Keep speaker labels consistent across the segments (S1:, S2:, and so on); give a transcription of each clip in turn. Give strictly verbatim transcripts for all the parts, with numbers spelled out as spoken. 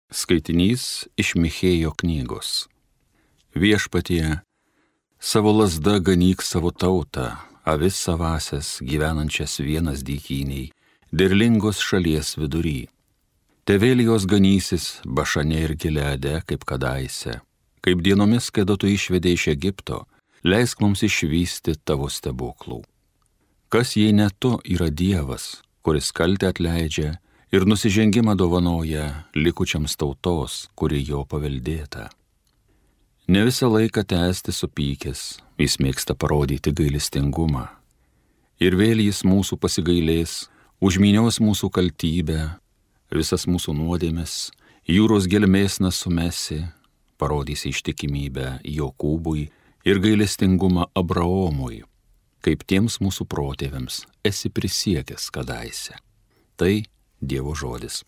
S1: Skaitinys iš Michėjo knygos. Viešpatie, savo lazda ganyk savo tautą, avis savasias gyvenančias vienas dykyniai, derlingos šalies vidury. Tevel jos ganysis Bašane ir Gileade kaip kadaise, kaip dienomis, kada tu išvedei iš Egipto, leisk mums išvysti tavo stebuklų. Kas jei ne tu yra Dievas, kuris kaltę atleidžia ir nusižengimą dovanoja likučiams tautos, kuri jo paveldėta. Ne visą laiką tęsti supykęs, jis mėgsta parodyti gailestingumą. Ir vėl jis mūsų pasigailės, užmynios mūsų kaltybę, visas mūsų nuodėmes, jūros gelmės nesumesi, parodys ištikimybę Jokūbui ir gailestingumą Abraomui, kaip tiems mūsų protėviams esi prisiekęs kadaise. Tai Dievo žodis.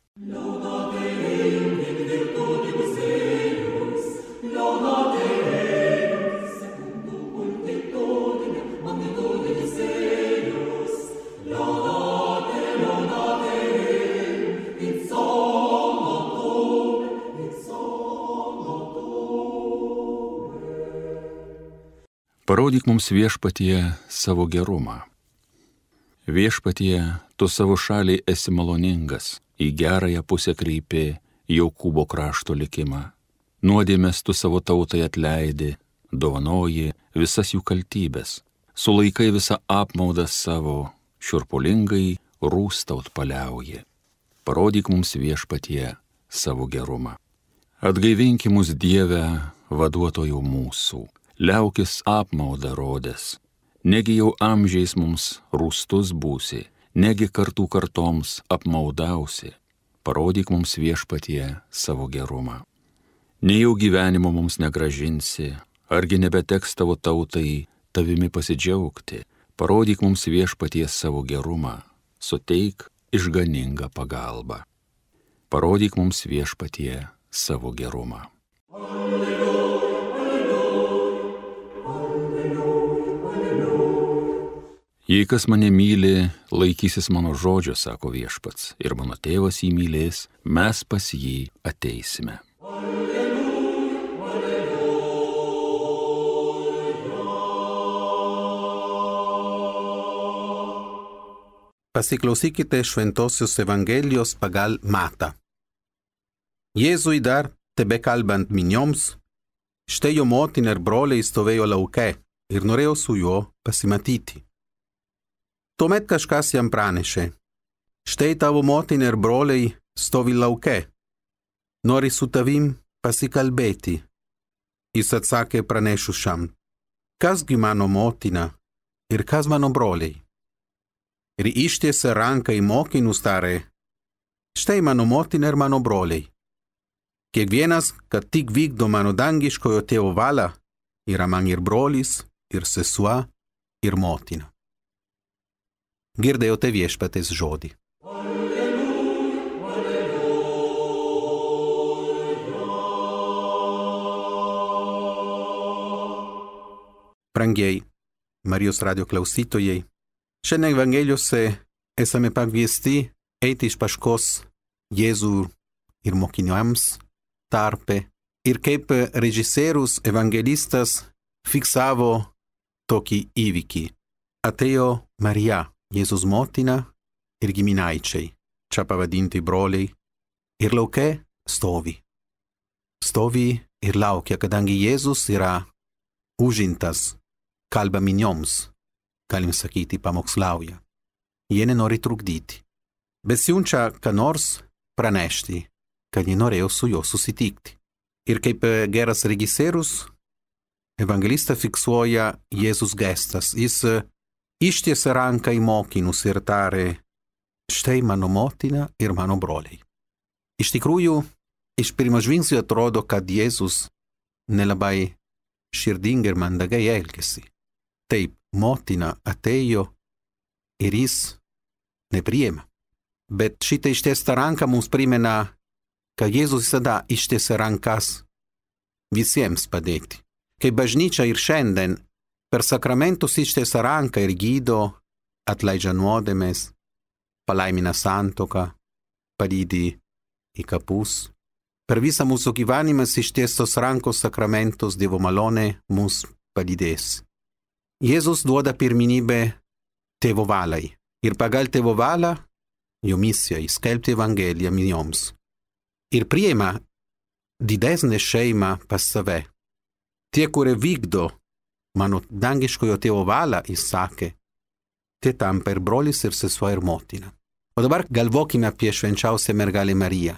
S1: Parodyk mums, Viešpatie, savo gerumą. Viešpatie, tu savo šaliai esi maloningas, į gerąją pusę kreipi Jokūbo krašto likimą. Nuodėmes tu savo tautai atleidi, dovanoji visas jų kaltybės, sulaikai visą apmaudą savo, šiurpulingai rūstaut paliauji. Parodyk mums, Viešpatie, savo gerumą. Atgaivinki mus, Dieve, vaduotojų mūsų, liaukis apmaudą rodęs. Negi jau amžiais mums rūstus būsi, negi kartų kartoms apmaudausi. Parodyk mums, Viešpatie, savo gerumą. Nejau gyvenimo mums negražinsi, argi nebeteks tavo tautai tavimi pasidžiaugti. Parodyk mums, Viešpatie, savo gerumą, suteik išganingą pagalbą. Parodyk mums, Viešpatie, savo gerumą. Jei kas mane myli, laikysis mano žodžio, sako Viešpats, ir mano tėvas jį mylės, mes pas jį ateisime.
S2: Pasiklausykite Šventosios Evangelijos pagal Matą. Jėzui dar tebekalbant minioms, štai jo motina ir broliai stovėjo lauke ir norėjo su juo pasimatyti. Tuomet kažkas jam pranešė, štai tavo motina ir broliai stovi lauke, nori su tavim pasikalbėti. Jis atsakė pranešušam, kasgi mano motina ir kas mano broliai. Ir ištiesė ranką į mokinus tarė, štai mano motina ir mano broliai. Kiekvienas, kad tik vykdo mano dangiškojo tėvo valią, yra man ir brolis, ir sesuo, ir motina. Girdėjote Viešpaties žodį. Brangieji Marijos radijo klausytojai, šiandien Evangelijose esame pakviesti eiti iš paskos Jėzų ir mokiniams tarpe ir kaip režisierius evangelistas fiksavo tokį įvykį. Atėjo Marija, Jėzus motina ir giminaičiai, čia pavadinti broliai, ir lauke stovi. Stovi ir laukia, kadangi Jėzus yra užimtas, kalba minioms, galim sakyti, pamokslauja. Jie nenori trukdyti, bet siunčia ką nors pranešti, kad jie norėjo su juo susitikti. Ir kaip geras režisierius, evangelista fiksuoja Jėzus gestas. Jis ištiesė ranką į mokinus ir tarė, štai mano motina ir mano broliai. Iš tikrųjų, iš pirmo žvilgsnio atrodo, kad Jėzus nelabai širdingai ir mandagai elgėsi. Taip, motina atėjo ir jis nepriėmė. Bet šitą ištiestą ranką mums primena, kad Jėzus visada ištiesė rankas visiems padėti. Kaip bažnyčia ir šiandien per sakramentus ištiesia ranką ir gydo, atleidžia nuodėmes, palaimina santuoką, palydi į kapus, Per visą mūsų gyvenimas ištiestos rankos sakramentos Dievo malonė mus palydės. Jėzus duoda pirmenybę Tėvo valiai ir pagal Tėvo valią jo misiją skelbti Evangeliją minioms. Ir priima didesnę šeimą pas save. Tie, kurie vykdo mano dangiškojo Tėvo valią, jis sakė, tie tampa ir brolis, ir sesuo, ir motina. O dabar galvokime apie švenčiausią mergelę Mariją.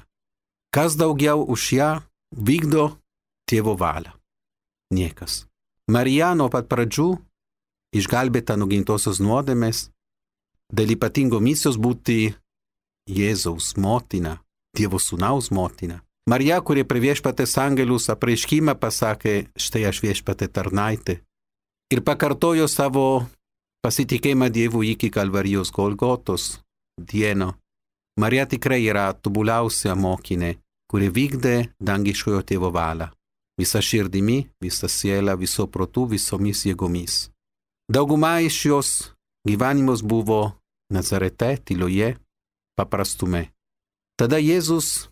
S2: Kas daugiau už ją vykdo Tėvo valią? Niekas. Marija nuo pat pradžių išgelbėta nuo gimtosios nuodėmės, dėl ypatingo misijos būti Jėzaus motina, Dievo sūnaus motina. Marija, kuri prie viešpatės angelus apreiškimą pasakė, štai aš viešpatė tarnaitė, ir pakartojo savo pasitikėjimą Dievu iki Kalvarijos Golgotos dieno. Marija tikrai yra tobuliausia mokinė, kuri vykdė dangiškojo Tėvo valią. Visa širdimi, visa siela, viso protu, visomis jėgomis. Dauguma iš jos gyvenimas buvo Nazarete, tyloje, paprastume. Tada Jėzus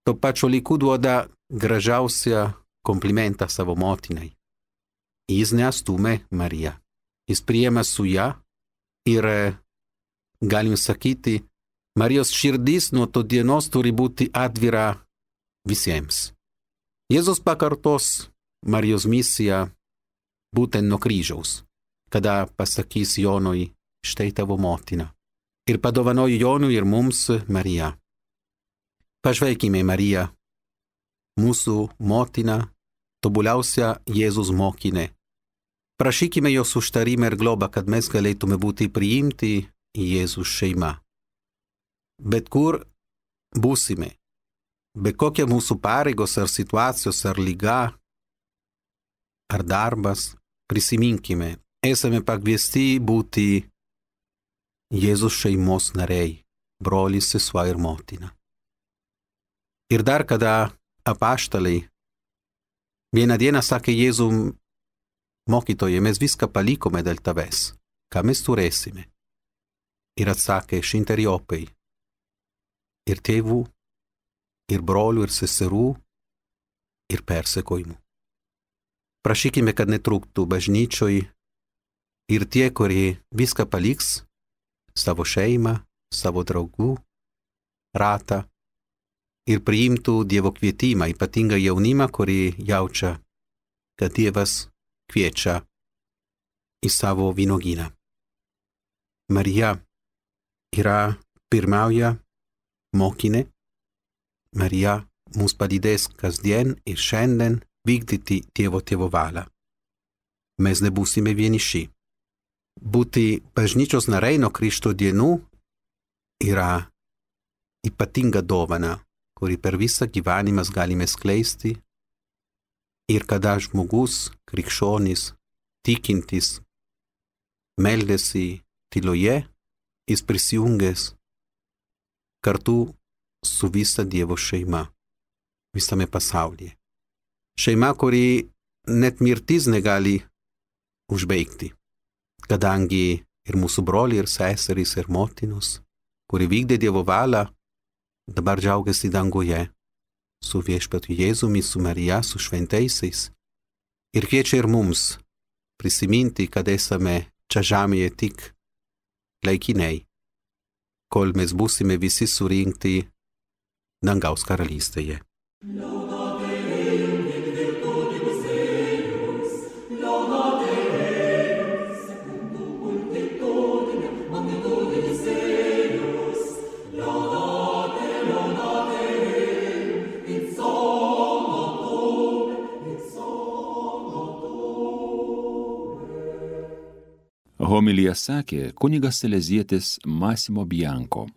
S2: to pačio laiku duoda gražiausią komplimentą savo motinai. Jis neatstumė Mariją. Jis priėmė su ją ir, galim sakyti, Marijos širdis nuo to dienos turi būti atvira visiems. Jėzus pakartos Marijos misiją būtent nuo kryžiaus, kada pasakys Jonui, štai tavo motina. Ir padovanojo Jonui ir mums Mariją. Pažvelkime Mariją, mūsų motina, tobuliausia Jėzus mokinė. Prašykime jos užtarimą ir globą, kad mes galėtume būti priimti į Jėzus šeimą. Bet kur būsime, be kokia mūsų pareigos ar situacijos ar lyga ar darbas, prisiminkime, esame pakviesti būti Jėzus šeimos nariai, brolis, sesuo ir motina. Ir dar kada apaštalai vieną dieną sakė Jėzum, mokytoje, mes viską palikome dėl tavęs, ką mes turėsime. Ir atsakė šimteriopai, ir tėvų, ir brolių, ir seserų, ir persekojimų. Prašykime, kad netrūktų bažnyčioj ir tie, kurie viską paliks, savo šeimą, savo draugų ratą, ir priimtų Dievo kvietimą, ypatingą jaunimą, kurį jaučia, kad Dievas kviečia į savo vynuogyną. Marija yra pirmauja mokinė. Marija mus palydės kasdien ir šiandien vykdyti Dievo Tėvo valią. Mes nebūsime vieniši. Būti bažnyčios nariai nuo Krikšto dienų yra ypatinga dovana, kurį per visą gyvenimą galime skleisti. Ir kada žmogus, krikščionis, tikintis, meldėsi tyloje, jis prisijungęs kartu su visa Dievo šeima visame pasaulyje. Šeima, kuri net mirtis negali užbaigti, kadangi ir mūsų broliai, ir seserys, ir motinos, kuri vykdė Dievo valią, dabar džiaugiasi danguje su viešpačiu Jėzumi, su Marija, su šventaisiais. Ir kviečia ir mums prisiminti, kad esame čia žemėje tik laikiniai, kol mes būsime visi surinkti dangaus karalystėje.
S1: Homiliją sakė kunigas salezietis Massimo Bianco.